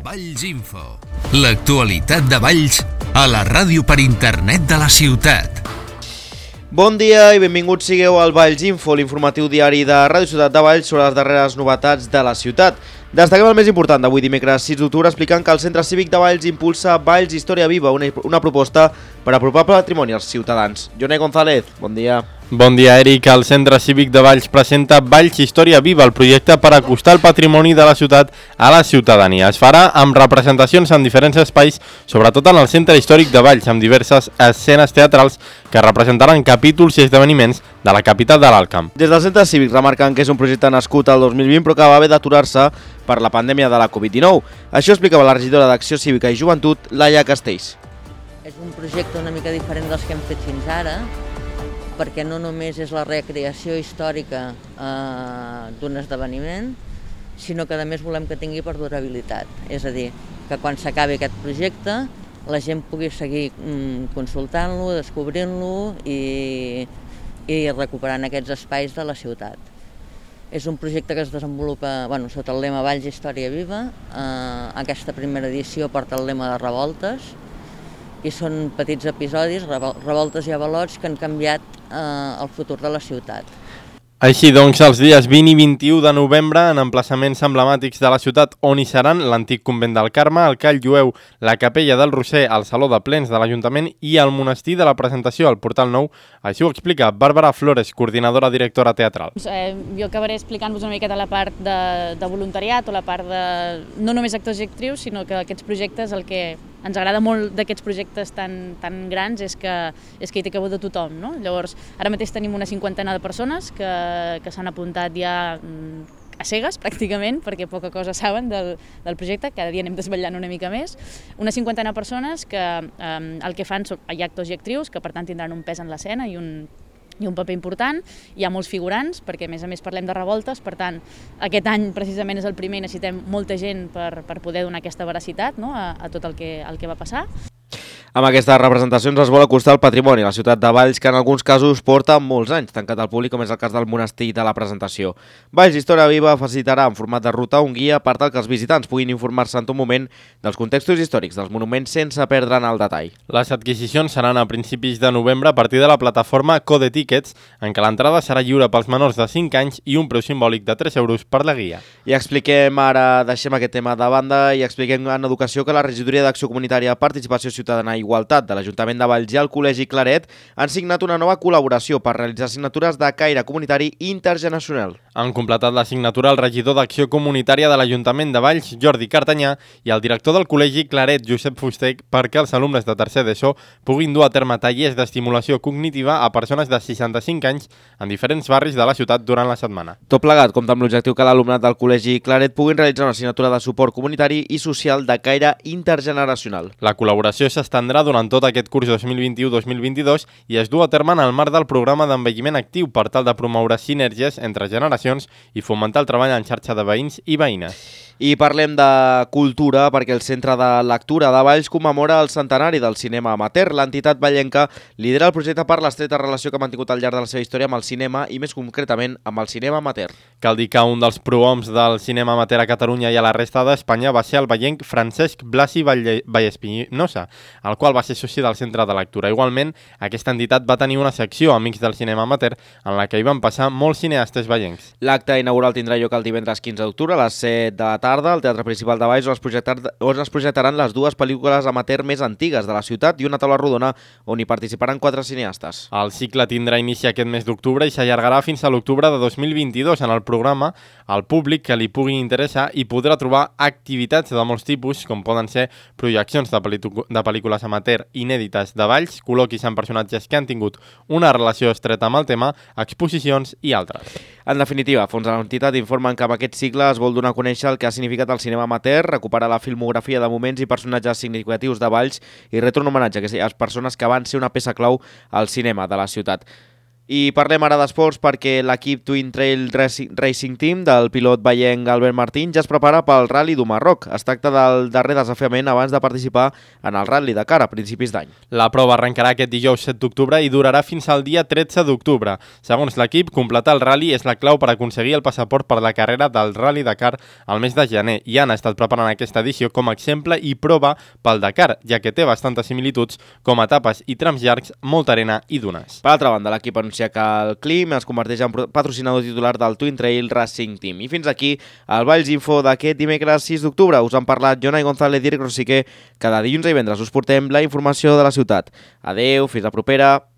Valls Info. L'actualitat de Valls a la ràdio per internet de la ciutat. Bon dia i benvinguts sigueu al Valls Info, l'informatiu diari de Ràdio Ciutat de Valls sobre les darreres novetats de la ciutat. Destaquem el més important d'avui dimecres 6 d'octubre explicant que el Centre Cívic de Valls impulsa Valls Història Viva, una proposta per apropar patrimoni als ciutadans. Jonai González, bon dia. Bon dia, Eric. El Centre Cívic de Valls presenta Valls Història Viva, el projecte per acostar el patrimoni de la ciutat a la ciutadania. Es farà amb representacions en diferents espais, sobretot en el Centre Històric de Valls, amb diverses escenes teatrals que representaran capítols i esdeveniments de la capital de l'Alt Camp. Des del Centre Cívic remarquen que és un projecte nascut al 2020 però que va haver d'aturar-se per la pandèmia de la Covid-19. Això explicava la regidora d'Acció Cívica i Joventut, Laia Castells. És un projecte una mica diferent dels que hem fet fins ara, perquè no només és la recreació històrica d'un esdeveniment, sinó que a més volem que tingui perdurabilitat. És a dir, que quan s'acabi aquest projecte la gent pugui seguir consultant-lo, descobrint-lo i recuperant aquests espais de la ciutat. És un projecte que es desenvolupa sota el lema Valls Història Viva. Aquesta primera edició porta el lema de revoltes i són petits episodis, revoltes i avalots que han canviat el futur de la ciutat. Així doncs, els dies 20 i 21 de novembre, en emplaçaments emblemàtics de la ciutat on hi seran l'antic convent del Carme, el Call Jueu, la Capella del Roser, el Saló de Plens de l'Ajuntament i el Monestir de la Presentació al Portal Nou. Així ho explica Bàrbara Flores, coordinadora directora teatral. Jo acabaré explicant-vos una miqueta la part de voluntariat o la part de no només actors i actrius, sinó que aquests projectes, el que ens agrada molt d'aquests projectes tan grans és que hi té cabuda tothom, no? Llavors, ara mateix tenim una 50 de persones que s'han apuntat ja a cegues, pràcticament, perquè poca cosa saben del projecte, cada dia anem desvetllant una mica més. Una 50 de persones que el que fan són actors i actrius, que per tant tindran un pes en l'escena i un paper important. Hi ha molts figurants, perquè a més parlem de revoltes, per tant, aquest any precisament és el primer i necessitem molta gent per poder donar aquesta veracitat, no?, a tot el que va passar. Amb aquestes representacions es vol acostar el patrimoni a la ciutat de Valls, que en alguns casos porta molts anys tancat al públic, com és el cas del Monestir de la Presentació. Valls Història Viva facilitarà en format de ruta un guia per tal que els visitants puguin informar-se en tot moment dels contextos històrics dels monuments sense perdre'n el detall. Les adquisicions seran a principis de novembre a partir de la plataforma Code Tickets, en què l'entrada serà lliure pels menors de 5 anys i un preu simbòlic de 3 euros per la guia. I expliquem ara, deixem aquest tema de banda i expliquem en educació que la Regidoria d'Acció Comunitària, Participació Ciutadana i Igualtat de l'Ajuntament de Valls i el Col·legi Claret han signat una nova col·laboració per realitzar assignatures de caire comunitari intergeneracional. Han completat la signatura el regidor d'Acció Comunitària de l'Ajuntament de Valls, Jordi Cartanyà, i el director del Col·legi Claret, Josep Fuster, perquè els alumnes de tercer d'ESO puguin dur a terme tallers d'estimulació cognitiva a persones de 65 anys en diferents barris de la ciutat durant la setmana. Tot plegat compta amb l'objectiu que l'alumnat del Col·legi Claret puguin realitzar una assignatura de suport comunitari i social de caire intergeneracional. La col·laboració s'estendrà durant tot aquest curs 2021-2022 i es du a terme en el marc del programa d'envelliment actiu per tal de promoure sinergies entre generacions i fomentar el treball en xarxa de veïns i veïnes. I parlem de cultura perquè el Centre de Lectura de Valls commemora el centenari del cinema amateur. L'entitat vallenca lidera el projecte per l'estreta relació que ha mantingut al llarg de la seva història amb el cinema i més concretament amb el cinema amateur. Cal dir que un dels prohoms del cinema amateur a Catalunya i a la resta d'Espanya va ser el vallenc Francesc Blasi Vallespinosa, el qual va ser soci del Centre de Lectura. Igualment, aquesta entitat va tenir una secció Amics del Cinema Amateur en la que hi van passar molts cineastes vallencs. L'acte inaugural tindrà lloc el divendres 15 d'octubre a les 7 de la tarda al Teatre Principal de Valls, on es projectaran les dues pel·lícules amateur més antigues de la ciutat i una taula rodona on hi participaran 4 cineastes. El cicle tindrà inici aquest mes d'octubre i s'allargarà fins a l'octubre de 2022. En el programa, el públic que li pugui interessar hi podrà trobar activitats de molts tipus, com poden ser projeccions de pel·lícules amateur inèdites de Valls, col·loquis amb personatges que han tingut una relació estreta amb el tema, exposicions i altres. En definitiva, fons de l'entitat informen que amb aquest cicle es vol donar a conèixer el que ha significat el cinema amateur, recuperar la filmografia de moments i personatges significatius de Valls i retre un homenatge a aquelles persones que van ser una peça clau al cinema de la ciutat. I parlem ara d'esports perquè l'equip Twin Trail Racing Team del pilot veienc Albert Martín ja es prepara pel Rally du Marroc. Es tracta del darrer desafiament abans de participar en el Rally Dakar a principis d'any. La prova arrencarà aquest dijous 7 d'octubre i durarà fins al dia 13 d'octubre. Segons l'equip, completar el rally és la clau per aconseguir el passaport per la carrera del Rally Dakar al mes de gener i han estat preparant aquesta edició com a exemple i prova pel Dakar, ja que té bastantes similituds com etapes i trams llargs, molta arena i dunes. Per altra banda, l'equip anuncia que el Clim es converteix en patrocinador titular del Twin Trail Racing Team. I fins aquí el Valls Info d'aquest dimecres 6 d'octubre. Us han parlat Jonai González i Eric Rosiquer. Cada dilluns i divendres us portem la informació de la ciutat. Adeu, fins la propera.